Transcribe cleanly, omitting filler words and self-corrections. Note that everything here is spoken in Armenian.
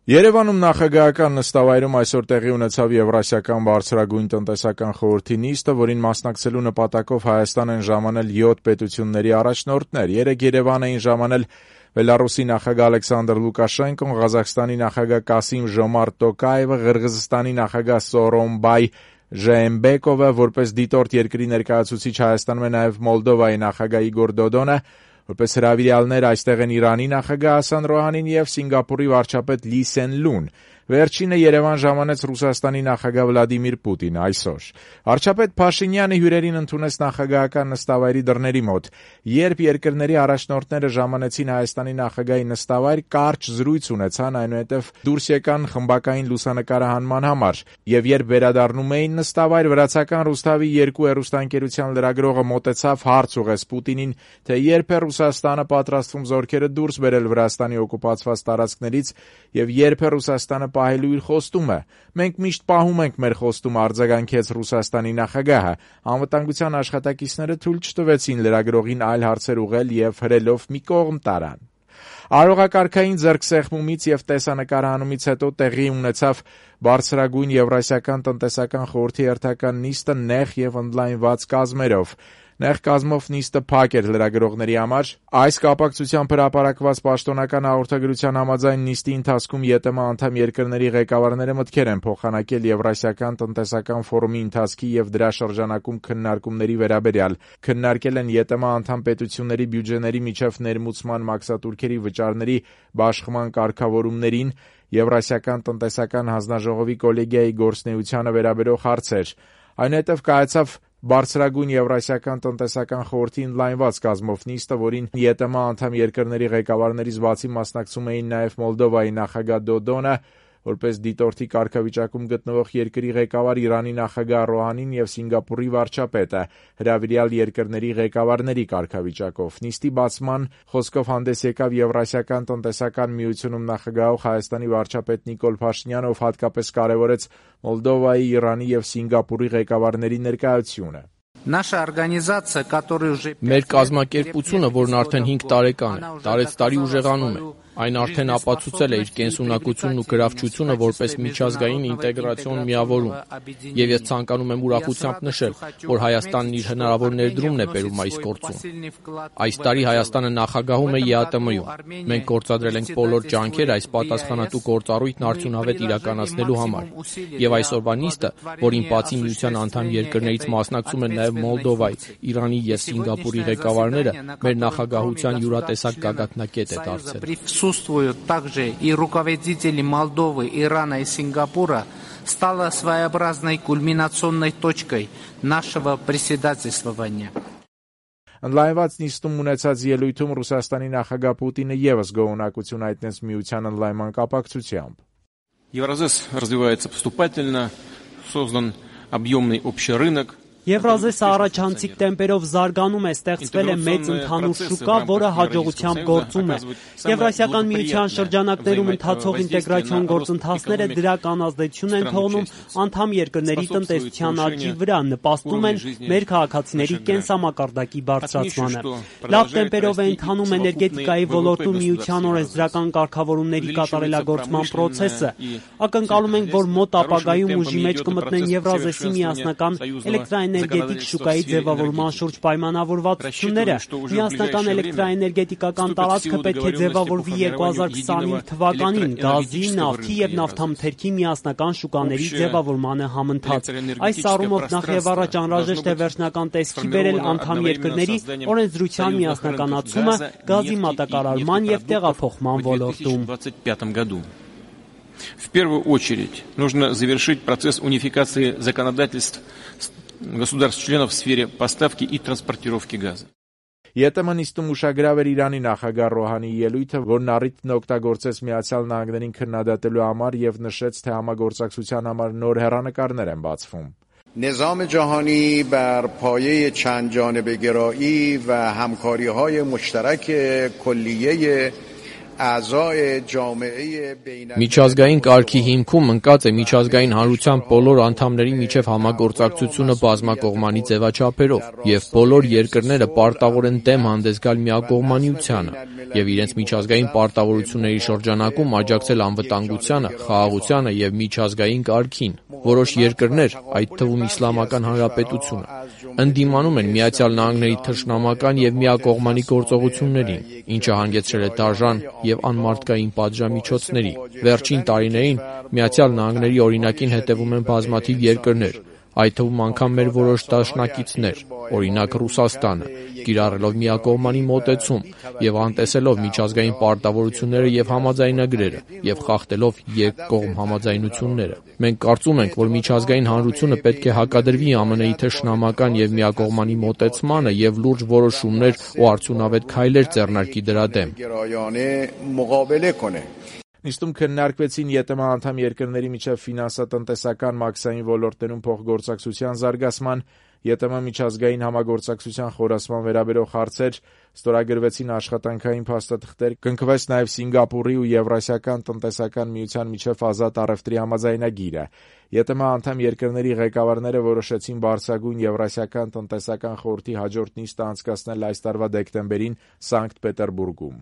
Երևանում նախագահական նստավայրում այսօր տեղի ունեցավ Եվրասիական բարձրագույն տնտեսական խորհրդի նիստը, որին մասնակցելու նպատակով Հայաստան են ժամանել 7 պետությունների առաջնորդներ։ Երեկ Երևան էին ժամանել Բելարուսի նախագահ Ալեքսանդր Լուկաշենկոն, Ղազախստանի նախագահ Կասիմ-Ժոմարտ Տոկաևը, Ղրղըզստանի նախագահ Սոռոմբայ Ժեըմբեկովը, որպես դիտորդ երկրի ներկայացուցիչ Հայաստանում է նաև Մոլդովայի նախագահ Իգոր Դոդոնը, որպես հրավիրյալներ այստեղ են Իրանի նախագահ Հասան Ռոհանին և Սինգապուրի վարչապետ Լի Սեն Լուն։ Վերջինը Երևան ժամանեց Ռուսաստանի նախագահ Վլադիմիր Պուտինը այսօր։ Վարչապետ Փաշինյանը հյուրերին ընդունեց նախագահական նստավայրի դռների մոտ։ Երբ երկրների առաջնորդները ժամանեցին Հայաստանի նախագահի նստավայր, կարճ զրույց ունեցան, այնուհետև դուրս եկան խմբակային լուսանկարահանման համար։ Եվ երբ վերադառնում էին նստավայր, վրացական Ռուսթավի 2 հեռուստաընկերության լրագրողը մոտեցավ, հարց ուղղեց Պուտինին, թե երբ է Ռուսաստանը պատրաստվում զորքերը դուրս բերել Վրաստանի օկուպացված տարածքներից եւ երբ է Ռուսաստանը պահելու իր խոստումը։ Մենք միշտ պահում ենք մեր խոստումը, արձագանքեց Ռուսաստանի նախագահը։ Անվտանգության աշխատակիցները թույլ չտվեցին լրագրողին այլ հարցեր ուղղել եւ հրելով մի կողմ տարան։ Արարողակարգային ձեռքսեղմումից եւ տեսանկարահանումից հետո տեղի ունեցավ բարձրագույն Եվրասիական տնտեսական խորհրդի հերթական նիստը նեղ եւ ընդլայնված կազմերով։ Նեղ կազմով նիստը փակ էր լրագրողների համար։ Այս կապակցությամբ հրապարակված պաշտոնական հաղորդագրության համաձայն նիստի ընթացքում ԵՏՄ անդամ երկրների ղեկավարները մտքեր են փոխանակել Եվրասիական տնտեսական ֆորումի ընթացքի եւ դրա շրջանակում քննարկումների վերաբերյալ։ Քննարկել են ԵՏՄ անդամ պետությունների բյուջեների միջև ներմուծման մաքսատուրքերի վճարների բաշխման կարգավորումներին, Եվրասիական տնտեսական հանձնաժողովի կոլեգիայի գործունեությանը վերաբերող հարցեր։ Այնուհետև կայացավ Բարձրագույն Եվրասիական տնտեսական խորհրդի ընդլայնված կազմով նիստը, որին ԵՏՄ անդամ երկրների ղեկավարներից բացի մասնակցում էին նաև Մոլդովայի նախագահ Դոդոնը, որպես դիտորդի կարգավիճակում գտնվող երկրի ղեկավար Իրանի նախագահ Ռոհանին եւ Սինգապուրի վարչապետը, հրավիրյալ երկրների ղեկավարների կարգավիճակով։ Նիստի բացման խոսքով հանդես եկավ Եվրասիական տնտեսական միությունում նախագահող Հայաստանի վարչապետ Նիկոլ Փաշինյանը, ով հատկապես կարևորեց Մոլդովայի, Իրանի եւ Սինգապուրի ղեկավարների ներկայությունը։ Մեր կազմակերպությունը, որն արդեն 5 տարեկան է, տարեցտարի ուժեղանում է։ Այն արդեն ապացուցել է իր կենսունակությունն ու գրավչությունը որպես միջազգային ինտեգրացիոն միավորում։ Եվ ես ցանկանում եմ ուրախությամբ նշել, որ Հայաստանն իր հնարավոր ներդրումն է բերում այս գործում։ Այս տարի Հայաստանը նախագահում է ԵԱՏՄ-ում։ Մենք գործադրել ենք բոլոր ջանքեր այս պատասխանատու գործառույթն արդյունավետ իրականացնելու համար։ Եվ այսօրվա նիստը, որին բացի միության անդամ երկրներից մասնակցում են նաև Մոլդովայի, Իրանի եւ Սինգապուրի ղեկավարները, մեր նախագահության յուրատեսակ գագաթնակետ է դարձել։ Присутствуют также и руководители Молдовы, Ирана и Сингапура, стало своеобразной кульминационной точкой нашего председательствования. Ընդլայնված նիստում ունեցած ելույթում Ռուսաստանի նախագահ Պուտինը եւս գոհունակություն հայտնեց միության ընդլայնման կապակցությամբ։ Евразес развивается поступательно, создан объемный общий рынок. Եվրազեսը առաջանցիկ տեմպերով զարգանում է, ստեղծվել է մեծ ընդհանուր շուկա, որը հաջողությամբ գործում է։ Եվրասիական միության շրջանակներում ընթացող ինտեգրացիոն գործընթացները դրական ազդեցություն են թողնում անդամ երկրների տնտեսության աճի վրա, նպաստում են մեր քաղաքացիների կենսամակարդակի բարձրացմանը։ Լավ տեմպերով է ընթանում էներգետիկայի ոլորտում միության օրենսդրական կարգավորումների կատարելագործման process-ը։ Ակնկալում ենք, որ մոտ ապագայում ուժի մեջ կմտնեն Եվրազեսի միասնական էլեկտրաէներգետիկ շուկայի ձևավորման շուրջ պայմանավորվածությունները։ Միասնական էլեկտրաէներգետիկական տարածքը պետք է ձևավորվի 2025 թվականին գազի, նավթի եւ նավթամթերքի միասնական շուկաների ձևավորմանը համընթաց։ Այս առումով նախ եւ առաջ անհրաժեշտ է վերջնական տեսքի բերել անդամ երկրների օրենսդրության միասնականացումը գազի մատակարարման եւ տեղափոխման ոլորտում։ В первую очередь нужно завершить процесс унификации законодательств государств-членов в сфере поставки и транспортировки газа. ԵՏՄ նիստում ուշագրավ էր Իրանի նախագահ Ռոհանիի ելույթը, որն առիթն օգտագործեց Միացյալ Նահանգներին քննադատելու համար եւ նշեց, թե համագործակցության համար նոր հեռանկարներ են բացվում։ نظام جهانی بر پایه چند جانبه گرایی و همکاری‌های مشترک کلیه Միջազգային կարգի հիմքում ընկած է միջազգային հանրության բոլոր անդամների միջև համագործակցությունը բազմակողմանի ձևաչափերով, եւ բոլոր երկրները պարտավոր են դեմ հանդես գալ միակողմանիությանը եւ իրենց միջազգային պարտավորությունների շրջանակում աջակցել անվտանգությանը, խաղաղությանը եւ միջազգային կարգին։ Որոշ երկրներ, այդ թվում Իսլամական Հանրապետությունը, ընդդիմանում են Միացյալ Նահանգների թշնամական եւ միակողմանի գործողություններին, ինչը հանգեցրել է դաժան եւ անմարդկային պատժամիջոցների։ Վերջին տարիներին Միացյալ Նահանգների օրինակին հետևում են բազմաթիվ երկրներ, այդ թվում անգամ մեր որոշ դաշնակիցներ, օրինակ Ռուսաստանը, կիրառելով միակողմանի մոտեցում եւ անտեսելով միջազգային պարտավորությունները եւ համաձայնագրերը եւ խախտելով երկկողմ համաձայնությունները։ Մենք կարծում ենք, որ միջազգային հանրությունը պետք է հակադրվի ԱՄՆ-ի թշնամական եւ միակողմանի մոտեցմանը եւ լուրջ որոշումներ ու արդյունավետ քայլեր ձեռնարկի դրա դեմ։ Նիստում քննարկվեցին ԵՏՄ անդամ երկրների միջև ֆինանսատնտեսական մաքսային ոլորտներում փոխգործակցության զարգացման, ԵՏՄ միջազգային համագործակցության խորացման վերաբերող հարցեր, ստորագրվեցին աշխատանքային փաստաթղթեր, կնքվեց նաև Սինգապուրի ու Եվրասիական տնտեսական միության միջև ազատ առևտրի համաձայնագիրը։ ԵՏՄ անդամ երկրների ղեկավարները որոշեցին բարձրագույն Եվրասիական տնտեսական խորհրդի հաջորդ նիստը անցկացնել այս տարվա դեկտեմբերին Սանկտ Պետերբուրգում։